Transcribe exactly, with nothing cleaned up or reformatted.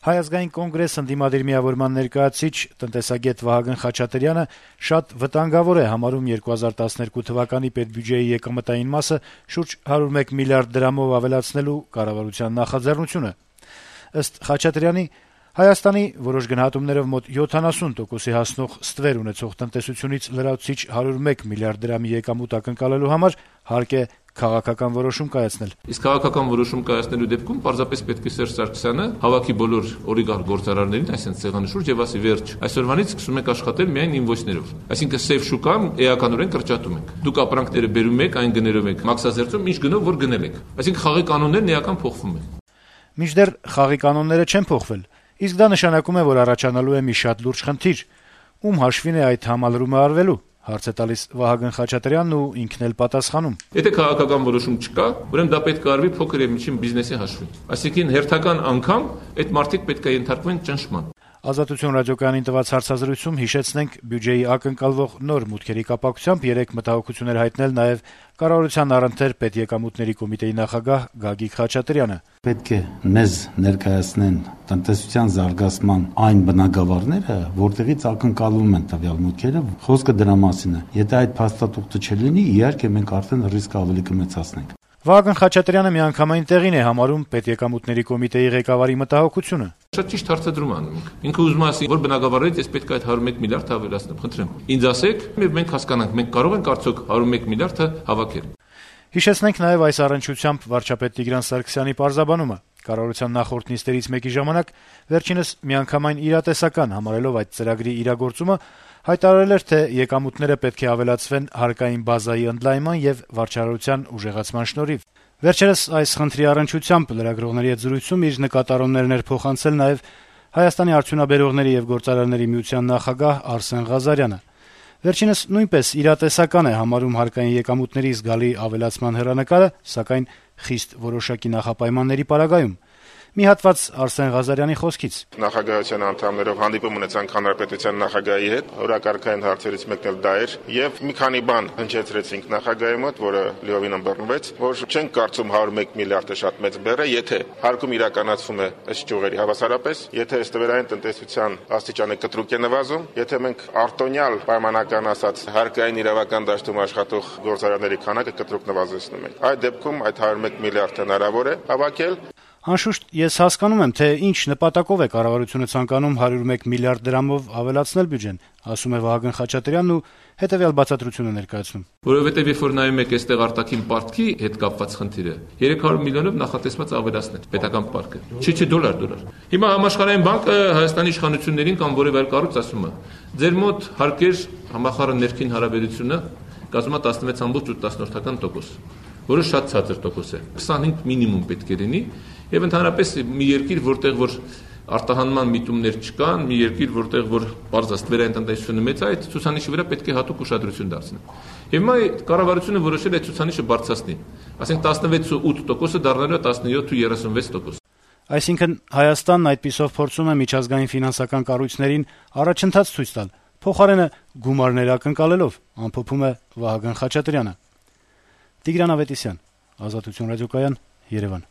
Հայ ազգային կոնգրես ընդդիմադիր միավորման ներկայացուցիչ տնտեսագետ Վահագն Խաչատրյանը շատ վտանգավոր է համարում երկու հազար տասներկու թվականի պետբյուջեի եկամտային մասը շուրջ հարյուր մեկ միլիարդ դրամով ավելացնելու կառավարության նախաձեռնությունը։ Ըստ Խաչատրյանի, Հայաստանի որոշ գնահատումներով մոտ յոթանասուն տոկոսի հասնող ստվեր ունեցող տնտեսությունից լրացուցիչ հարյուր մեկ միլիարդ դրամի եկամուտ ակնկալելու համար հարկ է քաղաքական որոշում կայացնել։ Իսկ քաղաքական որոշում կայացնելու դեպքում պարզապես պետք է Սերժ Սարգսյանը հավաքի բոլոր օլիգարխ գործարարներին, այսինքն ցեղանի շուրջ եւ ասի վերջ, այսօրվանից սկսում եք աշխատել միայն ինվոյսներով։ Այսինքն սև շուկան էականորեն կրճատում եք։ Դուք ապրանքները բերում եք, այն գներով եք, մաքսազերծում, ինչ գնով որ գնել եք։ Այսինքն խաղի կանոններն էական փոխվում են։ Մինչդեռ խաղի կանոնները չեն փոխվել, իսկ դա նշանակում է, որ առաջանալու է մի շատ լուրջ խնդիր։ Ում հաշվին է այդ համալրումը արվելու։ Հարց է տալիս Վահագն Խաչատրյանն ու ինքն էլ պատասխանում։ Եթե քաղաքական որոշում չկա, ուրեմն դա պետք է արվի փոքր եւ միջին բիզնեսի հաշվին։ Այսինքն հերթական անգամ այդ մարդիկ պետք է ենթարկվեն ճնշման։ Ազատություն ռադիոկայանին տված հարցազրույցում հիշեցնենք բյուջեի ակնկալվող նոր մուտքերի կապակցությամբ երեք մտահոգություններ հայտնել նաեւ կառավարության առընթեր պետեկամուտների կոմիտեի նախագահ Գագիկ Խաչատրյանը։ Պետք է մեզ ներկայացնեն տնտեսության զարգացման այն բնագավառները, որտեղից ակնկալվում են տվյալ մուտքերը, խոսքը դրա մասին է։ Եթե այդ փաստաթուղթը չլինի, իհարկե մենք արդեն ռիսկը ավելի կմեծացնենք։ Վահագն Խաչատրյանը միանգամայն տեղին է համարում պետեկամուտների կոմիտեի ղեկավարի մտահոգությունը։ Շատ ճիշտ հարցադրում անում ենք։ Ինքը ուզում է ասի, որ բնակավարներից ես պետք է այդ հարյուր մեկ միլիարդ ավելացնեմ, խնդրեմ։ Ինձ ասեք, եւ մենք հասկանանք, մենք կարող ենք արդյոք հարյուր մեկ միլիարդը հավաքել։ Հիշեցնենք նաեւ այս առնչությամբ վարչապետ Տիգրան Սարգսյանի պարզաբանումը։ Կառավարության նախորդ նիստերից մեկի ժամանակ վերջինս միանգամայն իրատեսական համարելով այդ ծրագրի իրագործումը հայտարարել էր, թե եկամուտները պետք է ավելացվեն հարկային բազայի ընդլայնման եւ վարչարարության ուժեղացման շնորհիվ։ Վերջերս այս խնդրի առնչությամբ լրագրողների հետ զրույցում իր նկատառումներն էր փոխանցել նաեւ Հայաստանի արդյունաբերողների եւ գործարարների միության նախագահ Արսեն Ղազարյանը։ Վերջինս նույնպես իրատեսական է համարում հարկային եկամուտների զգալի ավելացման հեռանկարը, սակայն խիստ որոշակի նախապայմանների պարագայում։ Մի հատված Արսեն Ղազարյանի խոսքից. Նախագահության անդամներով հանդիպում ունեցանք հանրապետության նախագահի հետ, օրակարգային հարցերից մեկն էլ դա էր, եւ մի քանի բան հնչեցրեցինք նախագահի մոտ, որը լիովին ըմբռնվեց, որ չենք կարծում հարյուր մեկ միլիարդը շատ մեծ բեռ է, եթե հարկում իրականացվում է ըստ ճյուղերի հավասարապես, եթե ստվերային տնտեսության աստիճանը կտրուկ է նվազում, եթե մենք արտոնյալ պայմանական ասած հարկային իրավական դաշտում աշխատող գործարարների քանակը կտրուկ նվազեցնում ենք։ Այդ դեպքում այդ հարյուր մեկ միլիարդը հնարավոր է հավաքել։ Անշուշտ ես հասկանում եմ, թե ինչ նպատակով է կառավարությունը ցանկանում հարյուր մեկ միլիարդ դրամով ավելացնել բյուջեն, ասում է Վահագն Խաչատրյանն ու հետեւյալ բացատրությունը ներկայացնում։ Որովհետեւ երբ որ նայում եք այստեղ արտաքին պարտքի հետ կապված խնդիրը, երեք հարյուր միլիոնով նախատեսված ավելացնել պետական պարտքը։ Չի, չի, դոլար, դոլար։ Հիմա համաշխարհային բանկը Հայաստանի իշխանություններին կամ որևէ այլ կառույց ասում է. ձեր մոտ հարկեր համախառն ներքին հարաբերությունը կազմում է տասնվեց ամբողջ ութ տասնորդական տոկոս, որը շատ ցածր տոկոս է։ քսանհինգ մինիմում պետք է լինի, եւ ընդհանրապես մի երկիր, որտեղ որ արտահանման միտումներ չկան, մի երկիր, որտեղ որ բարձր ստվերային տնտեսությունը մեծ է, այդ ցուցանիշի վրա պետք է հատուկ ուշադրություն դարձնել։ Եվ հիմա կառավարությունը որոշել է ցուցանիշը բարձրացնի, ասենք տասնվեց ու ութ տոկոսը դառնալու է տասնյոթ ու երեսունվեց տոկոս։ Այսինքն Հայաստանն այդպիսով փորձում է միջազգային ֆինանսական կառույցներին առաջընթաց ցույց տալ, փոխարենը գումարներ ակնկալելով, ամփոփում է Վահագն Խաչատրյանը։ Տիգրան Ավետիսյան, Ազատություն ռադիոկայան, Երևան։